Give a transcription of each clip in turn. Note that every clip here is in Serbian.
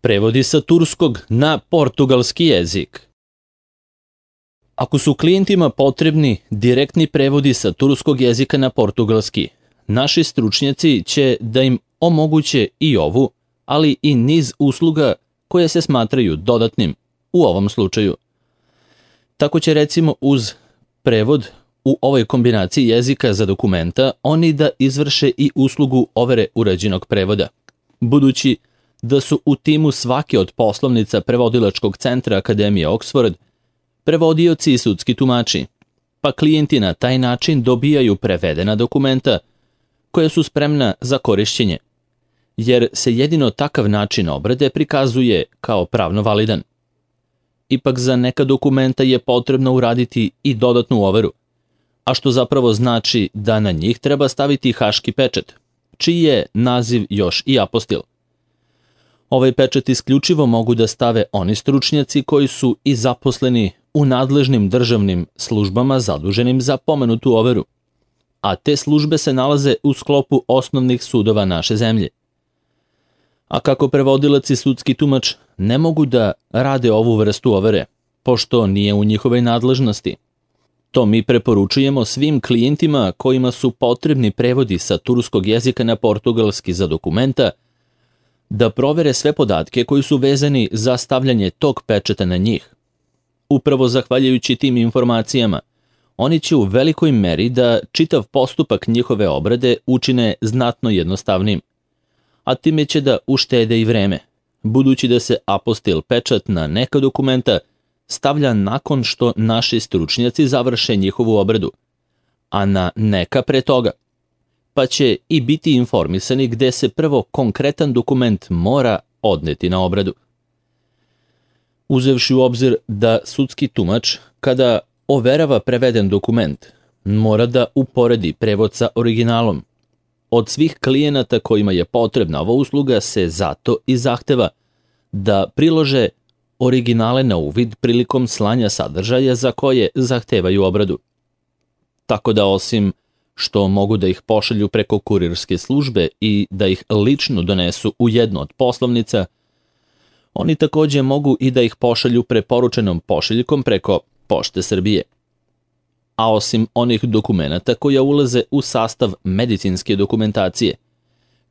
Prevodi sa turskog na portugalski jezik. Ako su klijentima potrebni direktni prevodi sa turskog jezika na portugalski, naši stručnjaci će da im omoguće i ovu, ali i niz usluga koje se smatraju dodatnim u ovom slučaju. Tako će recimo uz prevod u ovoj kombinaciji jezika za dokumenta oni da izvrše i uslugu overe urađenog prevoda, budući da su u timu svake od poslovnica prevodilačkog centra Akademije Oxford prevodioci i sudski tumači, pa klijenti na taj način dobijaju prevedena dokumenta koja su spremna za korišćenje, jer se jedino takav način obrade prikazuje kao pravno validan. Ipak za neka dokumenta je potrebno uraditi i dodatnu overu, a što zapravo znači da na njih treba staviti haški pečat, čiji je naziv još i apostil. Ovaj pečat isključivo mogu da stave oni stručnjaci koji su i zaposleni u nadležnim državnim službama zaduženim za pomenutu overu, a te službe se nalaze u sklopu osnovnih sudova naše zemlje. A kako prevodilac i sudski tumač ne mogu da rade ovu vrstu overe, pošto nije u njihovoj nadležnosti, to mi preporučujemo svim klijentima kojima su potrebni prevodi sa turskog jezika na portugalski za dokumenta, da provere sve podatke koji su vezani za stavljanje tog pečata na njih. Upravo zahvaljujući tim informacijama, oni će u velikoj meri da čitav postupak njihove obrade učine znatno jednostavnim, a time će da uštede i vreme, budući da se apostil pečat na neka dokumenta stavlja nakon što naši stručnjaci završe njihovu obradu, a na neka pre toga, pa će i biti informisani gde se prvo konkretan dokument mora odneti na obradu. Uzevši u obzir da sudski tumač, kada overava preveden dokument, mora da uporedi prevod sa originalom. Od svih klijenata kojima je potrebna ova usluga se zato i zahteva da prilože originale na uvid prilikom slanja sadržaja za koje zahtevaju obradu. Tako da osim što mogu da ih pošalju preko kurirske službe i da ih lično donesu u jednu od poslovnica, oni takođe mogu i da ih pošalju preporučenom pošiljkom preko Pošte Srbije. A osim onih dokumenata koja ulaze u sastav medicinske dokumentacije,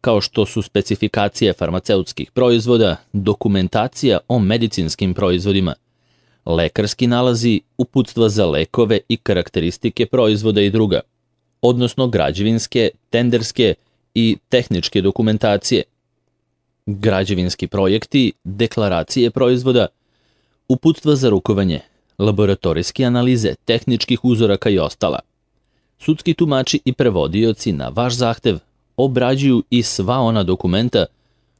kao što su specifikacije farmaceutskih proizvoda, dokumentacija o medicinskim proizvodima, lekarski nalazi, uputstva za lekove i karakteristike proizvoda i druga, odnosno građevinske, tenderske i tehničke dokumentacije, građevinski projekti, deklaracije proizvoda, uputstva za rukovanje, laboratorijske analize tehničkih uzoraka i ostala. Sudski tumači i prevodioci na vaš zahtev obrađuju i sva ona dokumenta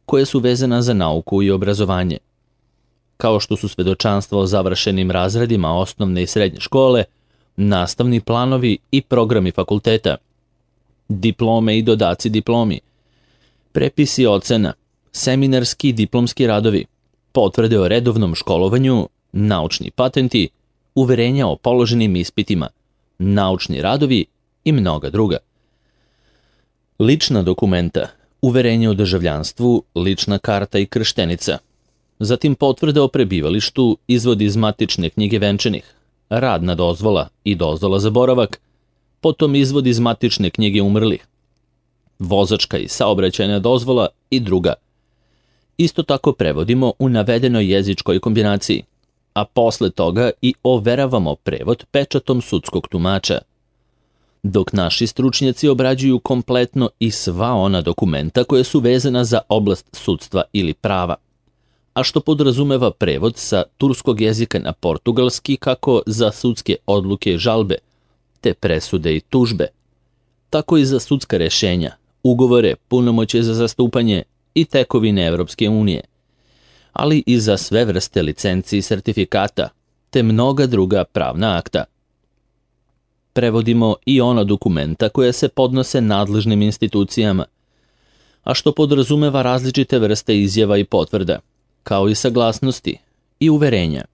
koje su vezana za nauku i obrazovanje, kao što su svedočanstva o završenim razredima osnovne i srednje škole, nastavni planovi i programi fakulteta, diplome i dodaci diplomi, prepisi ocena, seminarski i diplomski radovi, potvrde o redovnom školovanju, naučni patenti, uverenja o položenim ispitima, naučni radovi i mnoga druga. Lična dokumenta, uverenje o državljanstvu, lična karta i krštenica, zatim potvrde o prebivalištu, izvod iz matične knjige venčanih, radna dozvola i dozvola za boravak, potom izvod iz matične knjige umrlih, vozačka i saobraćajna dozvola i druga. Isto tako prevodimo u navedenoj jezičkoj kombinaciji, a posle toga i overavamo prevod pečatom sudskog tumača, dok naši stručnjaci obrađuju kompletno i sva ona dokumenta koje su vezana za oblast sudstva ili prava, a što podrazumeva prevod sa turskog jezika na portugalski kako za sudske odluke i žalbe, te presude i tužbe, tako i za sudska rešenja, ugovore, punomoćje za zastupanje i tekovine Evropske unije, ali i za sve vrste licenci i sertifikata, te mnoga druga pravna akta. Prevodimo i ona dokumenta koja se podnose nadležnim institucijama, a što podrazumeva različite vrste izjava i potvrda, kao i saglasnosti i uverenja,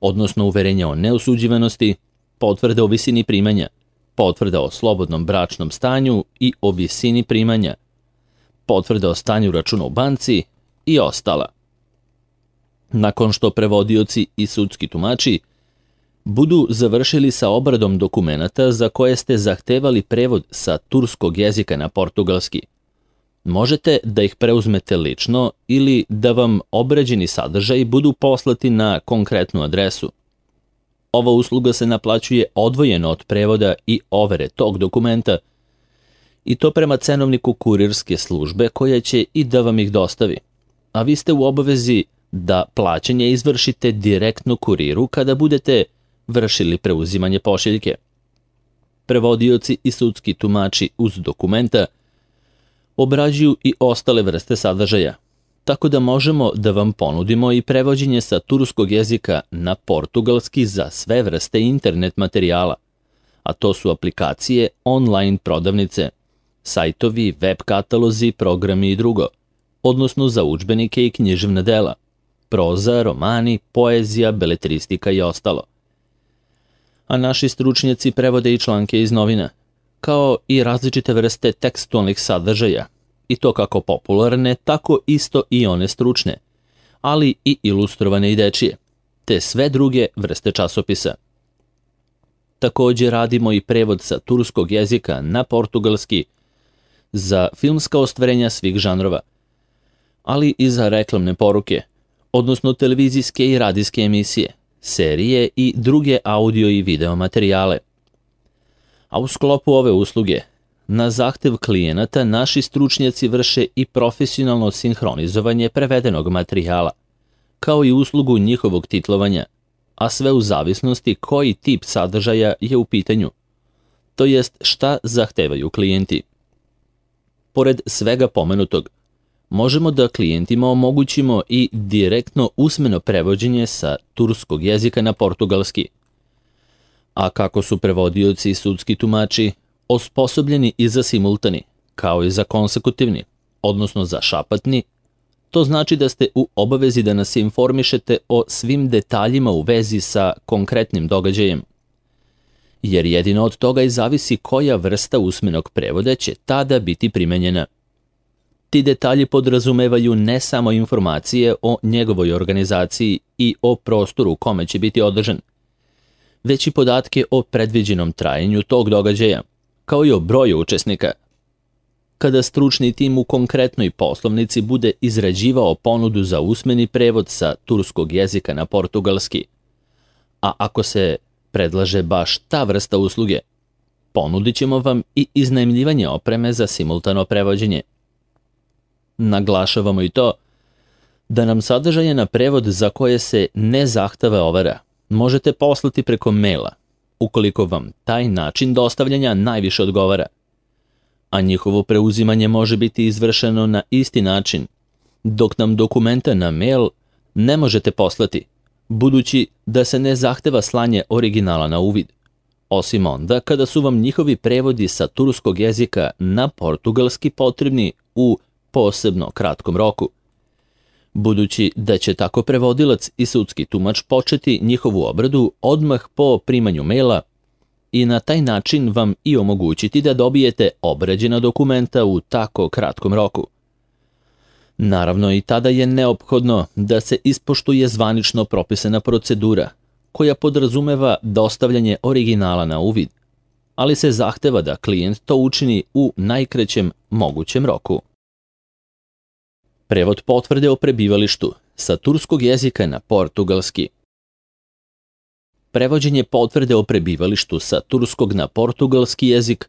odnosno uverenja o neosuđivanosti, potvrde o visini primanja, potvrda o slobodnom bračnom stanju i o visini primanja, potvrda o stanju računa u banci i ostala. Nakon što prevodioci i sudski tumači budu završili sa obradom dokumenata za koje ste zahtevali prevod sa turskog jezika na portugalski, možete da ih preuzmete lično ili da vam obrađeni sadržaji budu poslati na konkretnu adresu. Ova usluga se naplaćuje odvojeno od prevoda i overe tog dokumenta, i to prema cenovniku kurirske službe koja će i da vam ih dostavi, a vi ste u obavezi da plaćanje izvršite direktno kuriru kada budete vršili preuzimanje pošiljke. Prevodioci i sudski tumači uz dokumenta obrađuju i ostale vrste sadržaja, tako da možemo da vam ponudimo i prevođenje sa turskog jezika na portugalski za sve vrste internet materijala, a to su aplikacije, online prodavnice, sajtovi, web katalozi, programi i drugo, odnosno za udžbenike i književna dela, proza, romani, poezija, beletristika i ostalo. A naši stručnjaci prevode i članke iz novina, kao i različite vrste tekstualnih sadržaja, i to kako popularne, tako isto i one stručne, ali i ilustrovane i dečije, te sve druge vrste časopisa. Također radimo i prevod sa turskog jezika na portugalski za filmska ostvarenja svih žanrova, ali i za reklamne poruke, odnosno televizijske i radijske emisije, serije i druge audio i video materijale. A u sklopu ove usluge, na zahtev klijenata, naši stručnjaci vrše i profesionalno sinhronizovanje prevedenog materijala, kao i uslugu njihovog titlovanja, a sve u zavisnosti koji tip sadržaja je u pitanju, to jest šta zahtevaju klijenti. Pored svega pomenutog, možemo da klijentima omogućimo i direktno usmeno prevođenje sa turskog jezika na portugalski. A kako su prevodioci i sudski tumači osposobljeni i za simultani, kao i za konsekutivni, odnosno za šapatni, to znači da ste u obavezi da nas informišete o svim detaljima u vezi sa konkretnim događajem, jer jedino od toga i zavisi koja vrsta usmenog prevoda će tada biti primenjena. Ti detalji podrazumevaju ne samo informacije o njegovoj organizaciji i o prostoru u kome će biti održan, već i podatke o predviđenom trajanju tog događaja, kao i o broju učesnika. Kada stručni tim u konkretnoj poslovnici bude izrađivao ponudu za usmeni prevod sa turskog jezika na portugalski, a ako se predlaže baš ta vrsta usluge, ponudit ćemo vam i iznajmljivanje opreme za simultano prevođenje. Naglašavamo i to da nam sadržaje na prevod za koje se ne zahteva overa možete poslati preko maila, ukoliko vam taj način dostavljanja najviše odgovara, a njihovo preuzimanje može biti izvršeno na isti način, dok nam dokumenta na mail ne možete poslati, budući da se ne zahteva slanje originala na uvid, osim onda kada su vam njihovi prevodi sa turskog jezika na portugalski potrebni u posebno kratkom roku, budući da će tako prevodilac i sudski tumač početi njihovu obradu odmah po primanju maila i na taj način vam i omogućiti da dobijete obrađena dokumenta u tako kratkom roku. Naravno, i tada je neophodno da se ispoštuje zvanično propisana procedura, koja podrazumeva dostavljanje originala na uvid, ali se zahteva da klijent to učini u najkraćem mogućem roku. Prevod potvrde o prebivalištu sa turskog jezika na portugalski. Prevođenje potvrde o prebivalištu sa turskog na portugalski jezik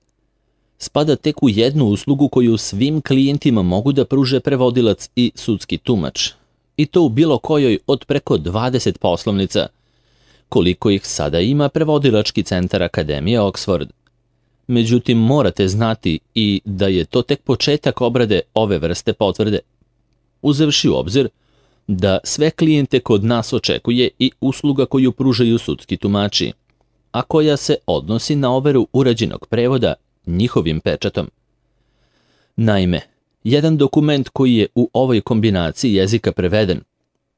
spada tek u jednu uslugu koju svim klijentima mogu da pruže prevodilac i sudski tumač, i to u bilo kojoj od preko 20 poslovnica, koliko ih sada ima prevodilački centar Akademije Oxford. Međutim, morate znati i da je to tek početak obrade ove vrste potvrde, uzevši u obzir da sve klijente kod nas očekuje i usluga koju pružaju sudski tumači, a koja se odnosi na overu urađenog prevoda njihovim pečatom. Naime, jedan dokument koji je u ovoj kombinaciji jezika preveden,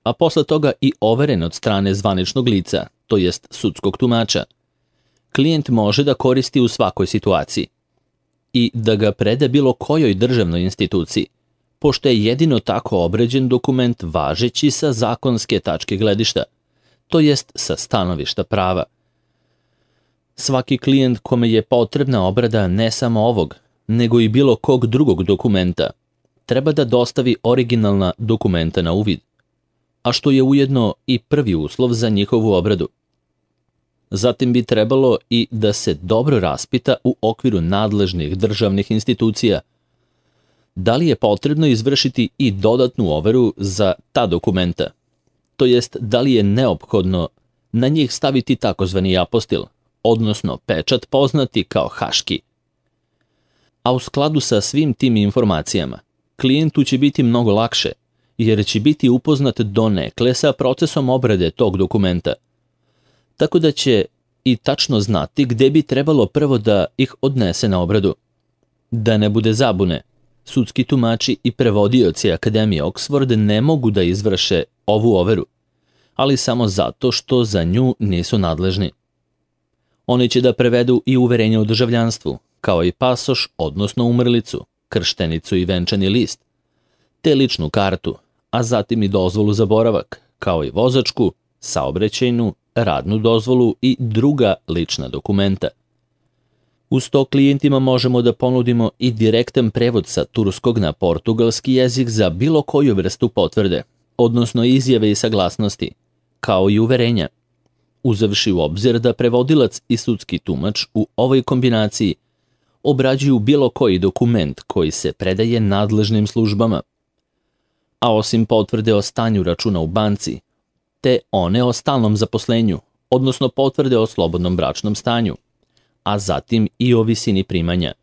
a posle toga i overen od strane zvaničnog lica, to jest sudskog tumača, klijent može da koristi u svakoj situaciji i da ga preda bilo kojoj državnoj instituciji, pošto je jedino tako obrađen dokument važeći sa zakonske tačke gledišta, to jest sa stanovišta prava. Svaki klijent kome je potrebna obrada ne samo ovog, nego i bilo kog drugog dokumenta, treba da dostavi originalna dokumenta na uvid, a što je ujedno i prvi uslov za njihovu obradu. Zatim bi trebalo i da se dobro raspita u okviru nadležnih državnih institucija da li je potrebno izvršiti i dodatnu overu za ta dokumenta, to jest da li je neophodno na njih staviti takozvani apostil, odnosno pečat poznati kao haški. A u skladu sa svim tim informacijama, klijentu će biti mnogo lakše, jer će biti upoznat donekle sa procesom obrade tog dokumenta, tako da će i tačno znati gde bi trebalo prvo da ih odnese na obradu. Da ne bude zabune, sudski tumači i prevodioci Akademije Oxford ne mogu da izvrše ovu overu, ali samo zato što za nju nisu nadležni. Oni će da prevedu i uverenje o državljanstvu, kao i pasoš, odnosno umrlicu, krštenicu i venčani list, te ličnu kartu, a zatim i dozvolu za boravak, kao i vozačku, saobraćajnu, radnu dozvolu i druga lična dokumenta. Uz to klijentima možemo da ponudimo i direktan prevod sa turskog na portugalski jezik za bilo koju vrstu potvrde, odnosno izjave i saglasnosti, kao i uverenja, uzevši u obzir da prevodilac i sudski tumač u ovoj kombinaciji obrađuju bilo koji dokument koji se predaje nadležnim službama, a osim potvrde o stanju računa u banci, te one o stalnom zaposlenju, odnosno potvrde o slobodnom bračnom stanju, a zatim i o visini primanja.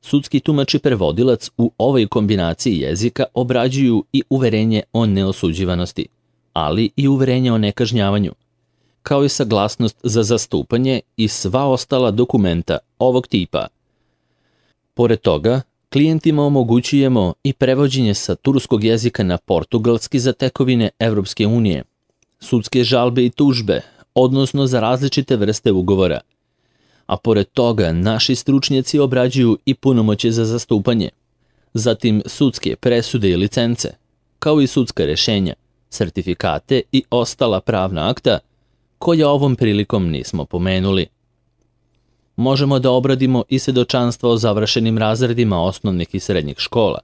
Sudski tumač i prevodilac u ovoj kombinaciji jezika obrađuju i uverenje o neosuđivanosti, ali i uverenje o nekažnjavanju, kao i saglasnost za zastupanje i sva ostala dokumenta ovog tipa. Pored toga, klijentima omogućujemo i prevođenje sa turskog jezika na portugalski za tekovine Evropske unije, sudske žalbe i tužbe, odnosno za različite vrste ugovora. A pored toga, naši stručnjaci obrađuju i punomoćje za zastupanje, zatim sudske presude i licence, kao i sudska rešenja, sertifikate i ostala pravna akta, koja ovom prilikom nismo pomenuli. Možemo da obradimo i svedočanstva o završenim razredima osnovnih i srednjih škola,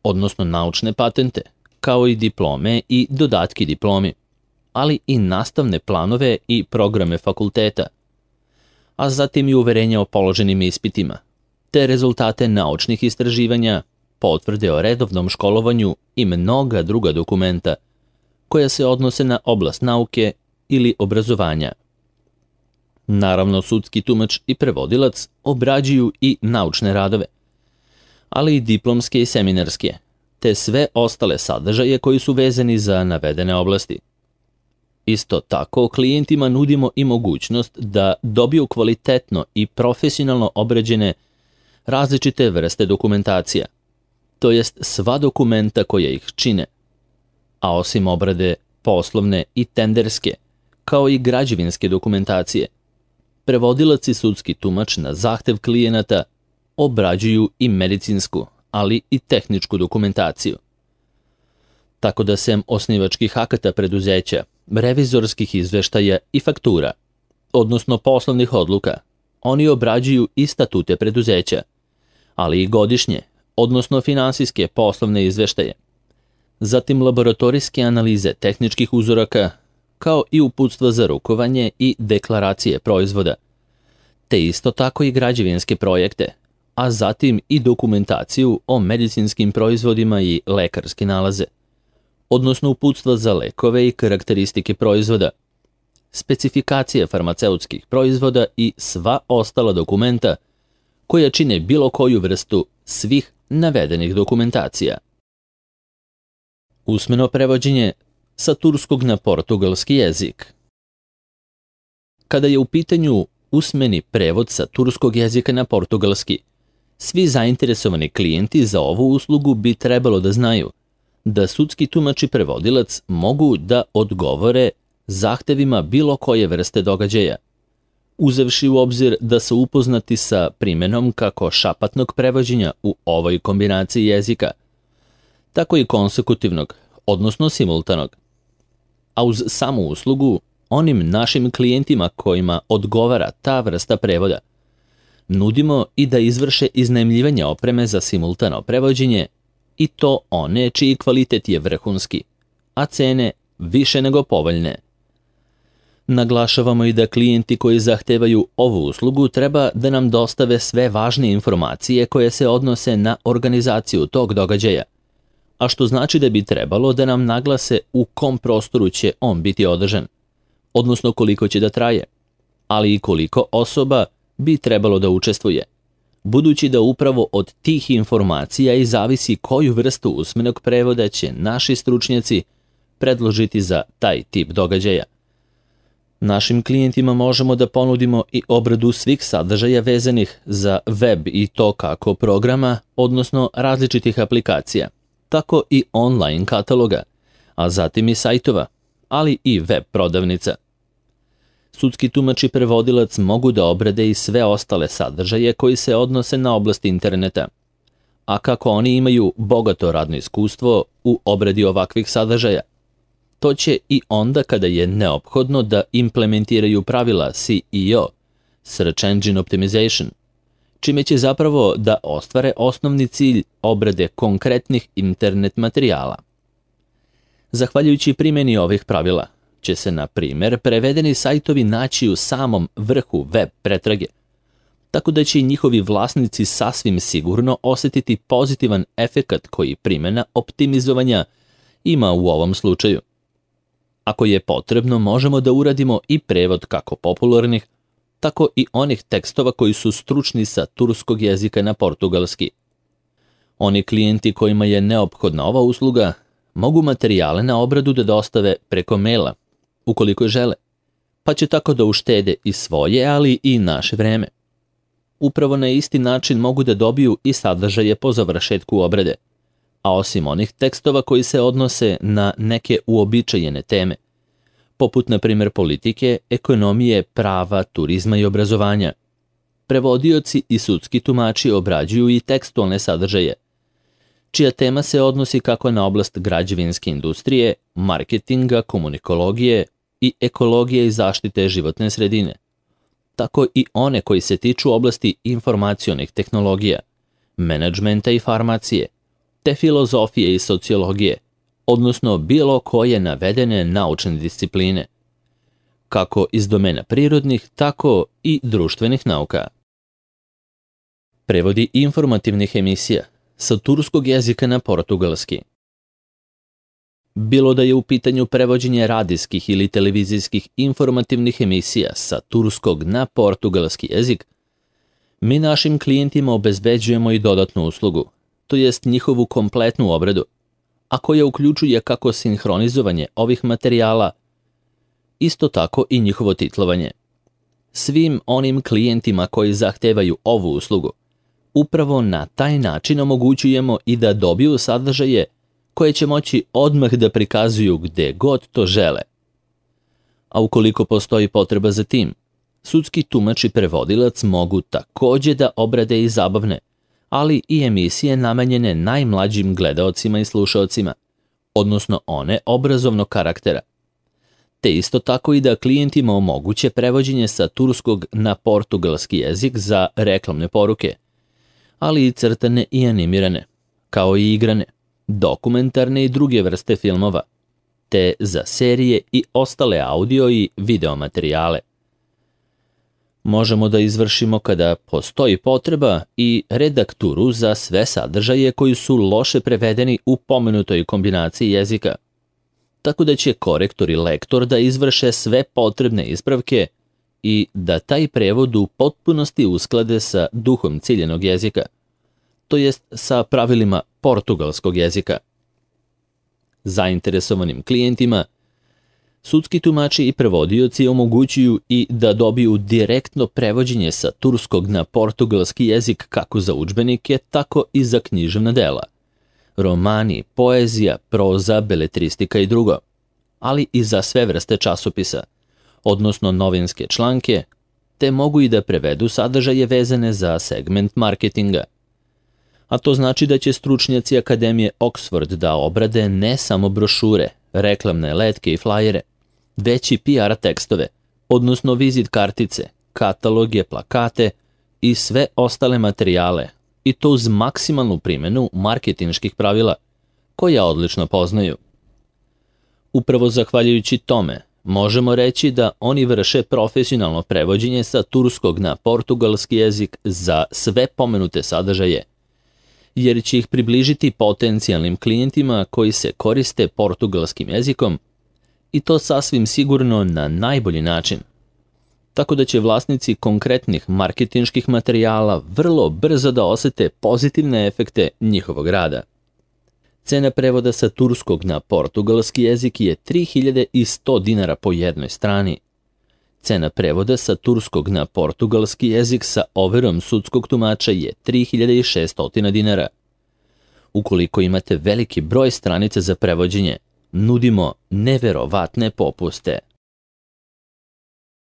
odnosno naučne patente, kao i diplome i dodatki diplomi, ali i nastavne planove i programe fakulteta, a zatim i uverenja o položenim ispitima, te rezultate naučnih istraživanja, potvrde o redovnom školovanju i mnoga druga dokumenta koja se odnose na oblast nauke ili obrazovanja. Naravno, sudski tumač i prevodilac obrađuju i naučne radove, ali i diplomske i seminarske, te sve ostale sadržaje koji su vezani za navedene oblasti. Isto tako, klijentima nudimo i mogućnost da dobiju kvalitetno i profesionalno obrađene različite vrste dokumentacija, to jest sva dokumenta koja ih čine, a osim obrade poslovne i tenderske, kao i građevinske dokumentacije, prevodilac i sudski tumač na zahtev klijenata obrađuju i medicinsku, ali i tehničku dokumentaciju. Tako da sem osnivačkih akata preduzeća, revizorskih izveštaja i faktura, odnosno poslovnih odluka, oni obrađuju i statute preduzeća, ali i godišnje, odnosno finansijske poslovne izveštaje, zatim laboratorijske analize tehničkih uzoraka, kao i uputstva za rukovanje i deklaracije proizvoda, te isto tako i građevinske projekte, a zatim i dokumentaciju o medicinskim proizvodima i lekarske nalaze, odnosno uputstva za lekove i karakteristike proizvoda, specifikacije farmaceutskih proizvoda i sva ostala dokumenta koja čine bilo koju vrstu svih navedenih dokumentacija. Usmeno prevođenje sa turskog na portugalski jezik. Kada je u pitanju usmeni prevod sa turskog jezika na portugalski, svi zainteresovani klijenti za ovu uslugu bi trebalo da znaju da sudski tumač i prevodilac mogu da odgovore zahtevima bilo koje vrste događaja, uzevši u obzir da su upoznati sa primenom kako šapatnog prevođenja u ovoj kombinaciji jezika, tako i konsekutivnog, odnosno simultanog. A uz samu uslugu, onim našim klijentima kojima odgovara ta vrsta prevoda, nudimo i da izvrše iznajmljivanje opreme za simultano prevođenje, i to one čiji kvalitet je vrhunski, a cene više nego povoljne. Naglašavamo i da klijenti koji zahtevaju ovu uslugu treba da nam dostave sve važne informacije koje se odnose na organizaciju tog događaja, a što znači da bi trebalo da nam naglase u kom prostoru će on biti održan, odnosno koliko će da traje, ali i koliko osoba bi trebalo da učestvuje, budući da upravo od tih informacija i zavisi koju vrstu usmenog prevoda će naši stručnjaci predložiti za taj tip događaja. Našim klijentima možemo da ponudimo i obradu svih sadržaja vezanih za web i to kako programa, odnosno različitih aplikacija, tako i online kataloga, a zatim i sajtova, ali i web prodavnica. Sudski tumač i prevodilac mogu da obrade i sve ostale sadržaje koji se odnose na oblast interneta, a kako oni imaju bogato radno iskustvo u obradi ovakvih sadržaja, to će i onda kada je neophodno da implementiraju pravila SEO, Search Engine Optimization, čime će zapravo da ostvare osnovni cilj obrade konkretnih internet materijala. Zahvaljujući primjeni ovih pravila, će se, na primjer, prevedeni sajtovi naći u samom vrhu web pretrage, tako da će i njihovi vlasnici sasvim sigurno osjetiti pozitivan efekat koji primjena optimizovanja ima u ovom slučaju. Ako je potrebno, možemo da uradimo i prevod kako popularnih, tako i onih tekstova koji su stručni sa turskog jezika na portugalski. Oni klijenti kojima je neophodna ova usluga mogu materijale na obradu da dostave preko maila, ukoliko žele, pa će tako da uštede i svoje, ali i naše vreme. Upravo na isti način mogu da dobiju i sadržaje po završetku obrade, a osim onih tekstova koji se odnose na neke uobičajene teme, poput na primjer politike, ekonomije, prava, turizma i obrazovanja. Prevodioci i sudski tumači obrađuju i tekstualne sadržaje, čija tema se odnosi kako na oblast građevinske industrije, marketinga, komunikologije i ekologije i zaštite životne sredine, tako i one koji se tiču oblasti informacionih tehnologija, menadžmenta i farmacije, te filozofije i sociologije, odnosno bilo koje navedene naučne discipline, kako iz domena prirodnih, tako i društvenih nauka. Prevodi informativnih emisija sa turskog jezika na portugalski. Bilo da je u pitanju prevođenje radijskih ili televizijskih informativnih emisija sa turskog na portugalski jezik, mi našim klijentima obezbeđujemo i dodatnu uslugu, to jest njihovu kompletnu obradu, a koja uključuje kako sinhronizovanje ovih materijala, isto tako i njihovo titlovanje. Svim onim klijentima koji zahtevaju ovu uslugu, upravo na taj način omogućujemo i da dobiju sadržaje koje će moći odmah da prikazuju gde god to žele. A ukoliko postoji potreba za tim, sudski tumač i prevodilac mogu takođe da obrade i zabavne, ali i emisije namenjene najmlađim gledaocima i slušaocima, odnosno one obrazovnog karaktera. Te isto tako i da klijentima omoguće prevođenje sa turskog na portugalski jezik za reklamne poruke, ali i crtane i animirane, kao i igrane, dokumentarne i druge vrste filmova, te za serije i ostale audio i video materijale. Možemo da izvršimo, kada postoji potreba, i redakturu za sve sadržaje koji su loše prevedeni u pomenutoj kombinaciji jezika, tako da će korektor i lektor da izvrše sve potrebne ispravke i da taj prevod u potpunosti usklade sa duhom ciljenog jezika, to jest sa pravilima portugalskog jezika. Zainteresovanim klijentima sudski tumači i prevodioci omogućuju i da dobiju direktno prevođenje sa turskog na portugalski jezik kako za udžbenike, tako i za književna dela, romani, poezija, proza, beletristika i drugo, ali i za sve vrste časopisa, odnosno novinske članke, te mogu i da prevedu sadržaje vezane za segment marketinga. A to znači da će stručnjaci Akademije Oxford da obrade ne samo brošure, reklamne letke i flajere, već i PR tekstove, odnosno vizit kartice, kataloge, plakate i sve ostale materijale, i to uz maksimalnu primjenu marketinških pravila, koja odlično poznaju. Upravo zahvaljujući tome, možemo reći da oni vrše profesionalno prevođenje sa turskog na portugalski jezik za sve pomenute sadržaje, jer će ih približiti potencijalnim klijentima koji se koriste portugalskim jezikom, i to sasvim sigurno na najbolji način. Tako da će vlasnici konkretnih marketinških materijala vrlo brzo da osete pozitivne efekte njihovog rada. Cena prevoda sa turskog na portugalski jezik je 3100 dinara po jednoj strani. Cena prevoda sa turskog na portugalski jezik sa overom sudskog tumača je 3600 dinara. Ukoliko imate veliki broj stranica za prevođenje, nudimo neverovatne popuste.